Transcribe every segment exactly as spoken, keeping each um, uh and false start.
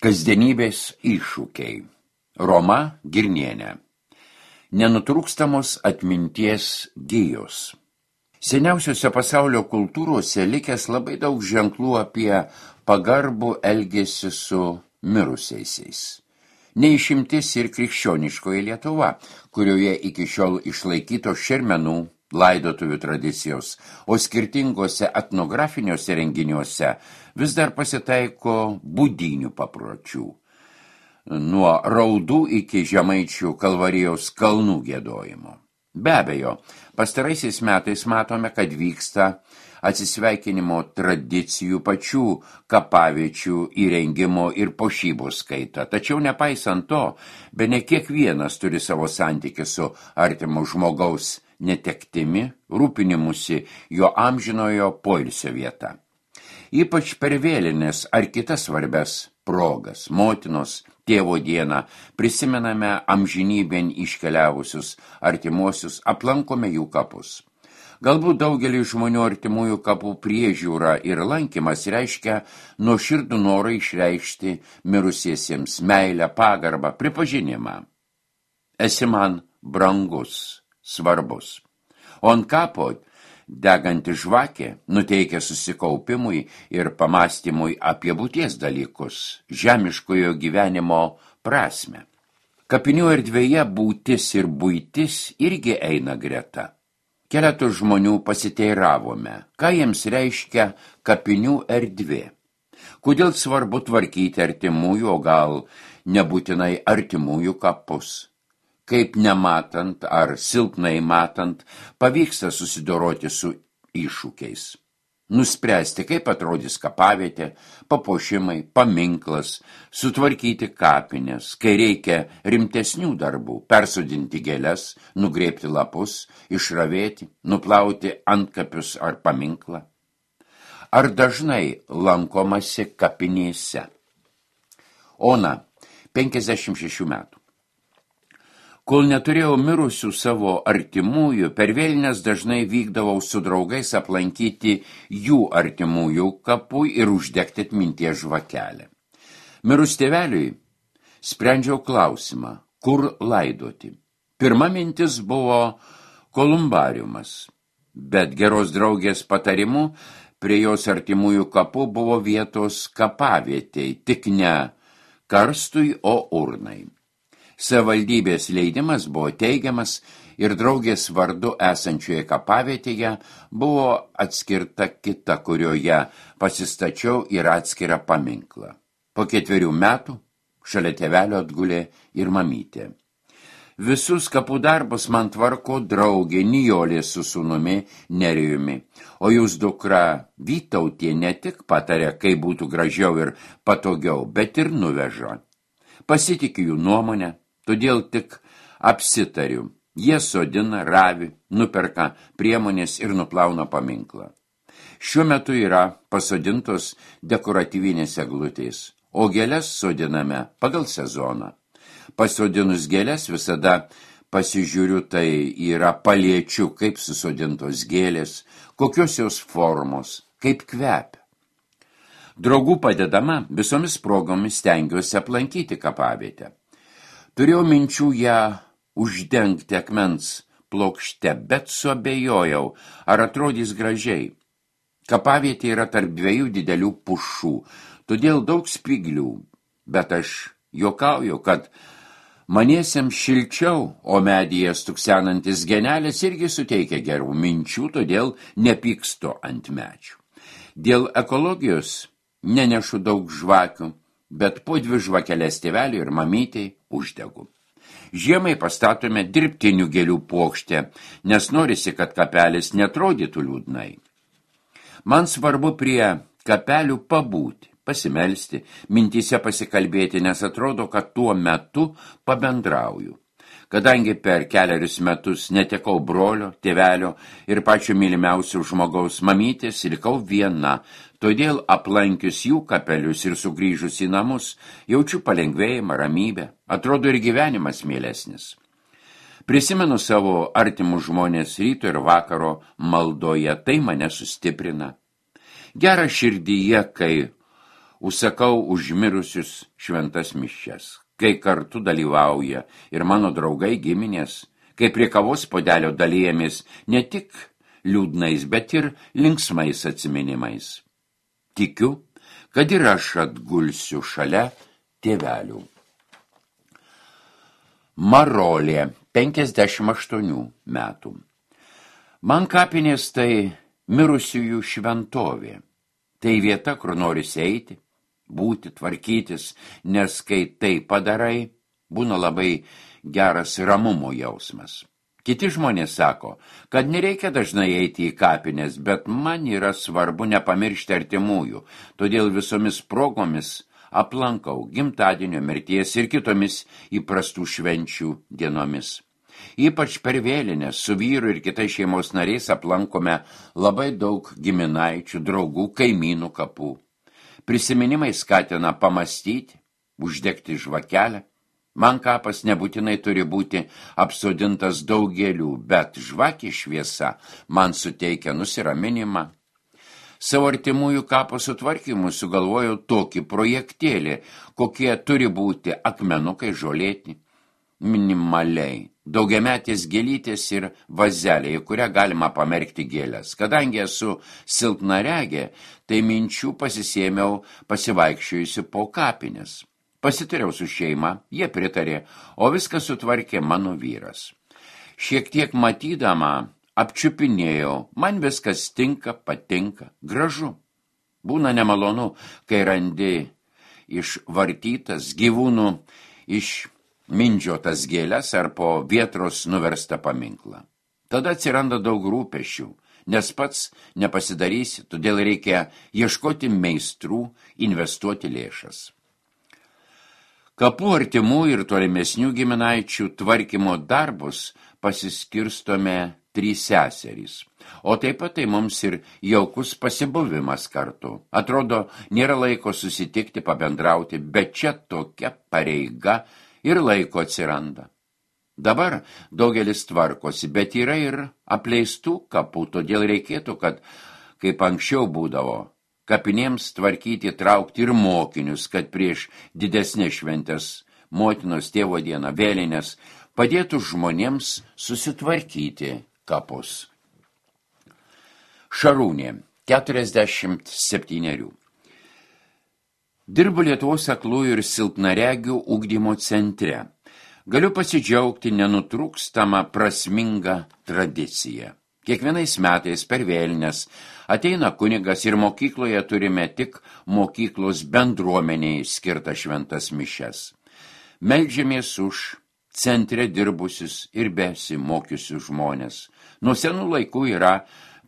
Kasdienybės iššūkiai. Roma Girnienė. Nenutrūkstamos atminties gijos. Seniausiose pasaulio kultūrose likęs labai daug ženklų apie pagarbų elgesį su mirusiaisiais. Neišimtis ir krikščioniškoji Lietuva, kurioje iki šiol išlaikytos šermenų, laidotuvių tradicijos, o skirtingose etnografiniuose renginiuose vis dar pasitaiko būdynių papročių. Nuo raudų iki žemaičių Kalvarijos kalnų giedojimo. Be abejo, pastaraisiais metais matome, kad vyksta atsisveikinimo tradicijų pačių kapaviečių įrengimo ir puošybos kaita. Tačiau nepaisant to, bene kiekvienas turi savo santykį su artimu žmogaus netektimi, rūpinimusi jo amžinojo poilsio vieta. Ypač per vėlinės ar kitas svarbias progas, motinos, tėvo dieną, prisimename amžinybėn iškeliavusius artimuosius, aplankome jų kapus. Galbūt daugelį žmonių artimųjų kapų priežiūra ir lankymas reiškia nuoširdų norą išreikšti mirusiesiems meilę, pagarbą, pripažinimą. Esi man brangus, svarbus. O ant kapo deganti žvakė nuteikia susikaupimui ir pamastymui apie būties dalykus, žemiškojo gyvenimo prasmę. Kapinių erdvėje būtis ir buitis irgi eina greta. Keletų žmonių pasiteiravome, ką jiems reiškia kapinių erdvė. Kodėl svarbu tvarkyti artimųjų, o gal nebūtinai artimųjų kapus. Kaip nematant ar silpnai matant, pavyksta susidoroti su iššūkiais. Nuspręsti, kaip atrodys kapavietė, papuošimai, paminklas, sutvarkyti kapines, kai reikia rimtesnių darbų, persodinti gėles, nugrėbti lapus, išravėti, nuplauti antkapius ar paminklą. Ar dažnai lankomasi kapinėse? Ona, penkiasdešimt šešių metų. Kol neturėjau mirusių savo artimųjų, per vėlines dažnai vykdavau su draugais aplankyti jų artimųjų kapų ir uždegti atminties žvakelę. Mirus tėveliui sprendžiau klausimą, kur laidoti. Pirma mintis buvo kolumbariumas, bet geros draugės patarimu prie jos artimųjų kapų buvo vietos kapavietei, tik ne karstui, o urnai. Savivaldybės leidimas buvo teigiamas ir draugės vardu esančioje kapavietėje buvo atskirta kita, kurioje pasistačiau ir atskirą paminklą. Po ketverių metų šalia tėvelio atgulė ir mamytė. Visus kapų darbus man tvarko draugė Nijolė su sūnumi Nerijumi, o jūs dukra Vytautė ne tik patarė, kaip būtų gražiau ir patogiau, bet ir nuveža. Pasitikiu jų nuomonę. Todėl tik apsitariu. Jie sodina, ravi, nuperka priemonės ir nuplauna paminklą. Šiuo metu yra pasodintos dekoratyvinės eglutės, o gėles sodiname pagal sezoną. Pasodinus gėles visada pasižiūriu, tai yra paliečiu, kaip susodintos gėlės, kokios jos formos, kaip kvepia. Draugų padedama visomis progomis stengiuosi aplankyti kapavietę. Turėjau minčių ją uždengti akmens plokšte, bet suabejojau, ar atrodys gražiai. Kapavietė yra tarp dviejų didelių pušų, todėl daug spyglių, bet aš juokauju, kad maniesiems šilčiau, o medyje stuksenantis genelės irgi suteikia gerų minčių, todėl nepykstu ant medžių. Dėl ekologijos nenešu daug žvakių, bet po dvi žvakeles tėveliui ir mamytei uždegu. Žiemai pastatome dirbtinių gėlių puokštę, nes norisi, kad kapelis netrodytų liūdnai. Man svarbu prie kapelių pabūti, pasimelsti, mintyse pasikalbėti, nes atrodo, kad tuo metu pabendrauju. Kadangi per keliarius metus netekau brolio, tėvelio ir pačio mylimiausio žmogaus mamytės, likau viena, todėl aplankius jų kapelius ir sugrįžus į namus, jaučiu palengvėjimą, ramybę, atrodo ir gyvenimas mielesnis. Prisimenu savo artimus žmonės ryto ir vakaro maldoje, tai mane sustiprina. Gera širdyje, kai užsakau užmirusius šventas mišias, kai kartu dalyvauja ir mano draugai giminės, kai prie kavos puodelio dalijamės ne tik liūdnais, bet ir linksmais atsiminimais. Tikiu, kad ir aš atgulsiu šalia tėvelių. Marolė, penkiasdešimt aštuonių metų. Man kapinės tai mirusiųjų šventovė. Tai vieta, kur norisi eiti, būti, tvarkytis, nes kai tai padarai, būna labai geras ramumo jausmas. Kiti žmonės sako, kad nereikia dažnai eiti į kapines, bet man yra svarbu nepamiršti artimųjų, todėl visomis progomis aplankau gimtadienio, mirties ir kitomis įprastų švenčių dienomis. Ypač per vėlinės su vyru ir kitais šeimos nariais aplankome labai daug giminaičių, draugų, kaimynų kapų. Prisiminimai skatina pamastyti, uždegti žvakelę. Man kapas nebūtinai turi būti apsodintas daug gėlių, bet žvakė šviesa man suteikia nusiraminimą. Savo artimųjų kapo sutvarkymui sugalvojau tokį projektėlį, kokie turi būti akmenukai, žolėti, minimaliai, daugiametės gėlytės ir vazelė, į kurią galima pamerkti gėlės. Kadangi esu silpnaregė, tai minčių pasisėmiau pasivaikščiojusi po kapines. Pasitariau su šeima, jie pritarė, o viską sutvarkė mano vyras. Šiek tiek matydama apčiupinėjau, man viskas tinka, patinka, gražu. Būna nemalonu, kai randi išvartytas gyvūnų išmindžiotas gėles ar po vietros nuverstą paminklą. Tada atsiranda daug rūpesčių, nes pats nepasidarysi, todėl reikia ieškoti meistrų, investuoti lėšas. Kapų artimų ir tolimesnių giminaičių tvarkymo darbus pasiskirstome trys seserys, o taip pat tai mums ir jaukus pasibuvimas kartu. Atrodo, nėra laiko susitikti, pabendrauti, bet čia tokia pareiga ir laiko atsiranda. Dabar daugelis tvarkosi, bet yra ir apleistų kapų, todėl reikėtų, kad, kaip anksčiau būdavo, kapinėms tvarkyti, traukti ir mokinius, kad prieš didesnės šventės, motinos, tėvo dieną, vėlinės, padėtų žmonėms susitvarkyti kapus. Šarūnė, keturiasdešimt septynerių. Dirbu Lietuvos aklųjų ir silpnaregių ugdymo centre. Galiu pasidžiaugti nenutrūkstamą prasmingą tradiciją. Kiekvienais metais per vėlines ateina kunigas ir mokykloje turime tik mokyklos bendruomeniai skirtą šventas mišias. Meldžiamės už centre dirbusius ir besimokiusius žmonės. Nuo senų laikų yra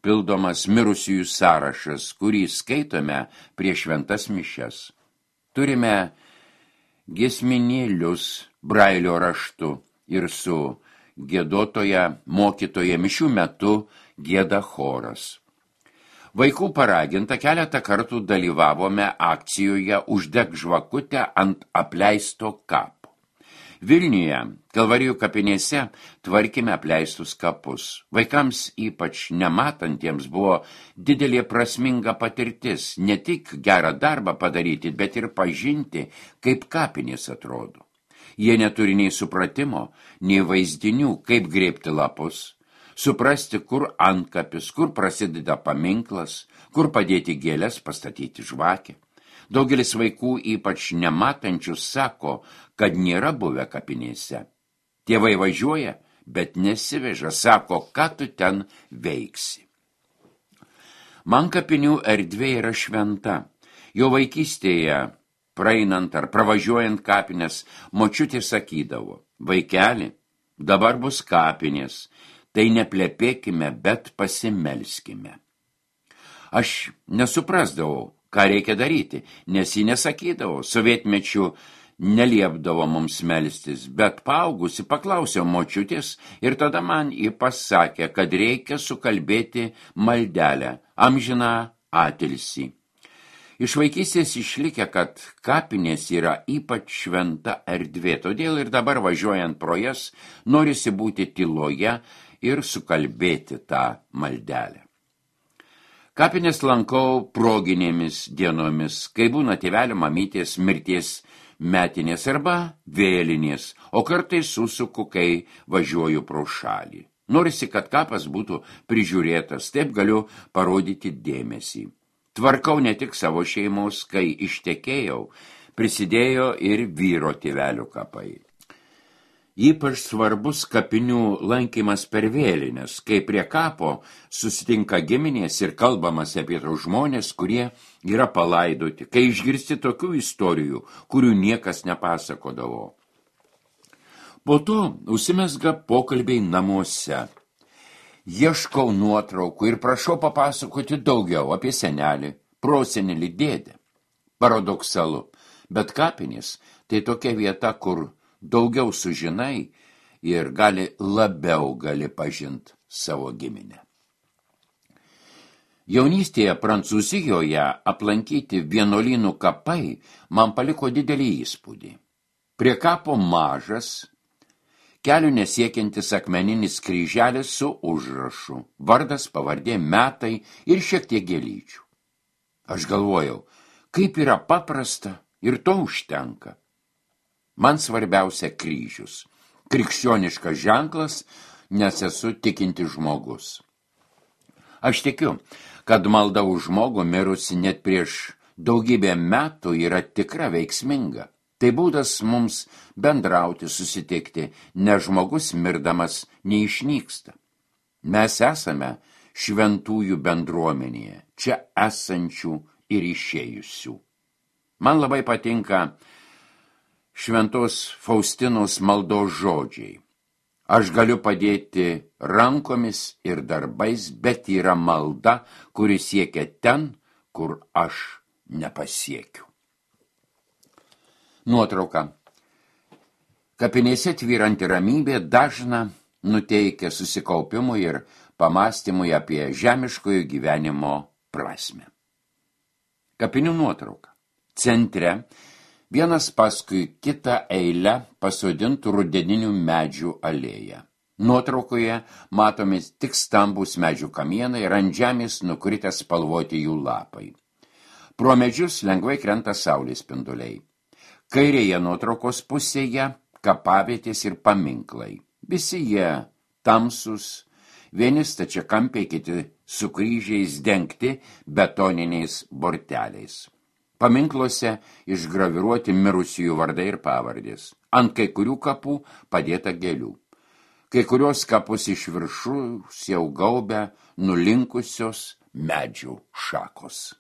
pildomas mirusiųjų sąrašas, kurį skaitome prieš šventas mišias. Turime giesminėlius brailio raštu ir su giedotoja, mokytoja mišių metu gieda choras. Vaikų paraginta keletą kartų dalyvavome akcijoje Uždek žvakutę ant apleisto kapo. Vilniuje, Kalvarijų kapinėse, tvarkėme apleistus kapus. Vaikams, ypač nematantiems, buvo didelė prasminga patirtis, ne tik gerą darbą padaryti, bet ir pažinti, kaip kapinės atrodo. Jie neturi nei supratimo, nei vaizdinių, kaip grėbti lapus, suprasti, kur antkapis, kur prasideda paminklas, kur padėti gėlės, pastatyti žvakę. Daugelis vaikų, ypač nematančių, sako, kad nėra buvę kapinėse. Tėvai važiuoja, bet nesiveža, sako, ką tu ten veiksi. Man kapinių erdvė yra šventa. Jo vaikystėje, praeinant ar pravažiuojant kapinės, močiutė sakydavo, vaikeli, dabar bus kapinės, tai neplepėkime, bet pasimelskime. Aš nesuprasdavau, ką reikia daryti, nes jį nesakydavo, sovietmečių neliepdavo mums melstis, bet paaugusi paklausiau močiutės ir tada man jį pasakė, kad reikia sukalbėti maldelę, amžiną atilsį. Iš vaikystės išlikę, kad kapinės yra ypač šventa erdvė, todėl ir dabar važiuojant pro jas norisi būti tyloje ir sukalbėti tą maldelę. Kapines lankau proginėmis dienomis, kai būna tėvelio mamytės mirties metinės arba vėlinės, o kartais susuku, kai važiuoju pro šalį. Norisi, kad kapas būtų prižiūrėtas, taip galiu parodyti dėmesį. Tvarkau ne tik savo šeimos, kai ištekėjau, prisidėjo ir vyro tėvelio kapai. Ypač svarbus kapinių lankymas per vėlines, kai prie kapo susitinka giminės ir kalbamas apie tos žmonės, kurie yra palaidoti, kai išgirsti tokių istorijų, kurių niekas nepasakodavo. Po to užsimezga pokalbiai namuose. Ieškau nuotraukų ir prašau papasakoti daugiau apie senelį, prosenelį, dėdę. Paradoksalu, bet kapinės tai tokia vieta, kur daugiau sužinai ir gali labiau gali pažint savo giminę. Jaunystėje Prancūzijoje aplankyti vienuolynų kapai man paliko didelį įspūdį. Prie kapo mažas, kelių nesiekiantis akmeninis kryželis su užrašu, vardas, pavardė, metai ir šiek tiek gėlyčių. Aš galvojau, kaip yra paprasta ir to užtenka. Man svarbiausia kryžius, krikščioniškas ženklas, nes esu tikintis žmogus. Aš tikiu, kad malda už žmogų mirusi net prieš daugybę metų yra tikra veiksminga. Tai būdas mums bendrauti, susitikti, nes žmogus mirdamas neišnyksta. Mes esame šventųjų bendruomenėje, čia esančių ir išėjusių. Man labai patinka Šventos Faustinos maldos žodžiai. Aš galiu padėti rankomis ir darbais, bet yra malda, kuri siekia ten, kur aš nepasiekiu. Nuotrauka. Kapinėse tvyranti ramybė dažna nuteikia susikaupimui ir pamastymui apie žemiškojo gyvenimo prasmę. Kapinių nuotrauka. Centre vienas paskui kitą eilę pasodintų rudeninių medžių alėją. Nuotraukoje matomi tik stambūs medžių kamienai ir ant žemės nukritę spalvoti jų lapai. Pro medžius lengvai krenta saulės spinduliai. Kairėje nuotraukos pusėje kapavietės ir paminklai. Visi jie tamsus, vieni stačiakampiai, kiti su kryžiais dengti betoniniais borteliais. Paminkluose išgraviruoti mirusiųjų vardai ir pavardės. Ant kai kurių kapų padėta gėlių. Kai kurios kapus iš viršų jau gaubia nulinkusios medžių šakos.